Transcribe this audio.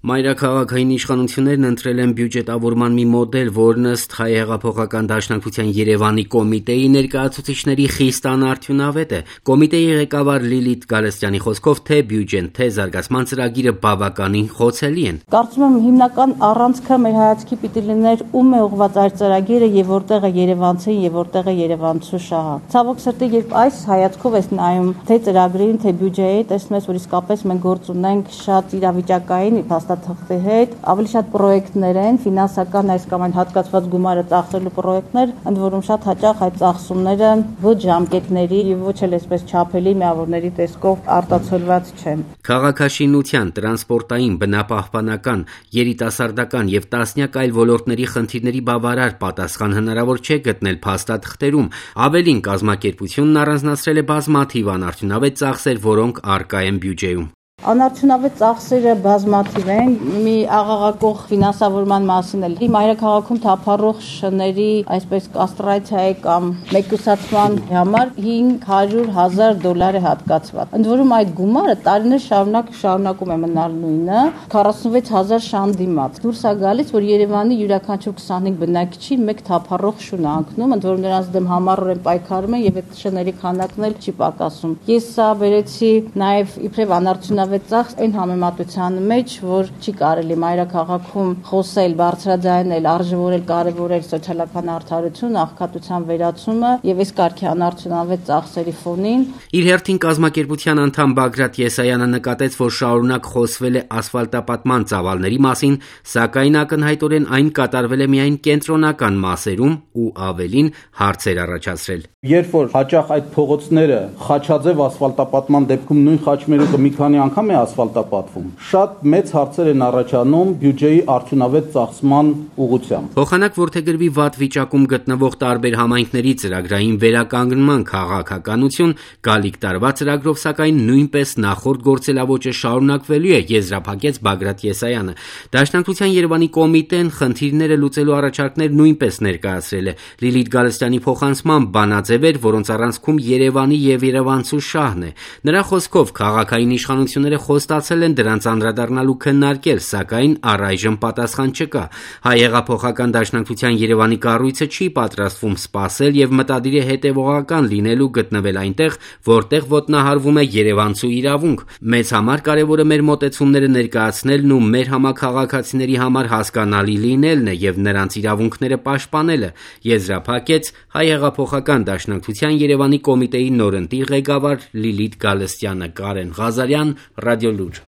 Մայրաքաղաքային իշխանություններն ընտրել են բյուջետավորման մի մոդել, որն ըստ Հայ հեղափոխական դաշնակցության Երևանի կոմիտեի ներկայացուցիչների խիստ անարդյունավետ է։ Կոմիտեի ղեկավար Լիլիթ Գալստյանի խոսքով թե բյուջեն, թե զարգացման ծրագիրը բավականին խոցելի են։ Կարծում եմ հիմնական առանցքը մեր հայացքի պիտի լիներ ում է ուղղված այս ծրագիրը եւ որտեղ է երևանցին եւ որտեղ է երևանցու շահը։ Ցավոք սրտի, երբ այս հայացքով ես նայում թե ծրագրին, թե բյուջեի, տեսնում ես, որ իսկապես մենք գործ ունենք շատ իրավիճակային փաստաթղթի հետ, ավելի շատ պրոյեկտներ են, ֆինանսական այս կամ այն հատկացված գումարը ծախսելու պրոյեկտներ, ընդ որում շատ հաճախ այդ ծախսումները ոչ ժամկետների եւ ոչ էլ այսպես չափելի միավորների տեսքով արտացոլված չեն։ Քաղաքաշինության, տրանսպորտային, բնապահպանական, երիտասարդական եւ տասնյակ այլ ոլորտների խնդիրների բավարար պատասխան հնարավոր չէ գտնել փաստաթղթերում։ Ավելին, կազմակերպությունն առանձնացրել է բազմաթիվ անարդյունավետ ծախսեր, որոնք առկա են բյուջեում։ Անարդյունավետ ծախսերը բազմաթիվ են, մի աղաղակող ֆինանսավորման մասին էլ։ Մայրաքաղաքում թափառող շների այսպես կաստրացիայի կամ մեկուսացման համար $500,000 է հատկացված։ Ընդ որում այդ գումարը տարիներ շարունակում է մնալ նույնը, 46,000 շան դիմաց։ Դուրս է գալիս, որ Երևանի յուրաքանչյուր 25 բնակիչի մեկ թափառող շուն է ընկնում, ընդ որում նրանց դեմ համառորեն պայքարում են եւ այդ շների քանակն էլ չի պակասում։ Ես սա վերեցի նաեւ իբրև անարդյունավետ ծախս այն համեմատության մեջ, որ չի կարելի մայրաքաղաքում խոսել, բարձրաձայնել, արժևորել, կարևորել սոցիալական արդարություն, աղքատության վերացումը եւ այս կարգի անարդյունավետ ծախսերի ֆոնին։ Իր հերթին կազմակերպության անդամ Բագրատ Եսայանը նկատեց, որ շարունակ խոսվել է ասֆալտապատման ծավալների մասին, սակայն ակնհայտորեն այն կատարվել է միայն կենտրոնական մասերում ու ավելին հարցեր առաջացրել։ Երբ որ հաճախ այդ փողոցները խաչաձև ասֆալտապատման դեպքում նույն խաչմերուկը մի քանի անգամ է ասֆալտապատվում, շատ մեծ հարցեր են առաջանում բյուջեի արդյունավետ ծախսման ուղղությամբ։ Փոխանակ որդեգրվի վատ վիճակում գտնվող տարբեր համայնքների ծրագրային վերականգնման քաղաքականություն գալիք տարվա ծրագրով սակայն նույնպես նախորդ գործելավոճը շարունակվելու է, եզրափակեց Բագրատ Եսայանը։ Դաշնակցության Երևանի կոմիտեն խնդիրները լուծելու առաջարկներ նույնպես ներկայացրել է։ Լիլիթ Գալստյանի փոխանցմամբ բանաձևեր, որոնց առանցքում Երևանի եւ երևանցու շահն է։ Նրա խոսքով քաղաքային իշխանությունները խոստացել են դրանց անդրադառնալու քննարկել, սակայն առայժմ պատասխան չկա։ Հայ հեղափոխական դաշնակցության Երևանի կառույցը չի պատրաստվում սպասել եւ մտադիր է հետեւողական լինել ու գտնվել այնտեղ, որտեղ ոտնահարվում է երևանցու իրավունք։ Մեզ համար կարևորը մեր մոտեցումները ներկայացնելն ու մեր համաքաղաքացիների համար հասկանալի լինելն է եւ նրանց իրավունքները պաշտպանելը, եզրափակեց Հայ հեղափոխական դաշնակցության Երևանի կոմիտեի նորընտիր ղեկավար Լիլիթ Գալստյանը։ Կարեն Ղազարյան, Ռադիոլուր։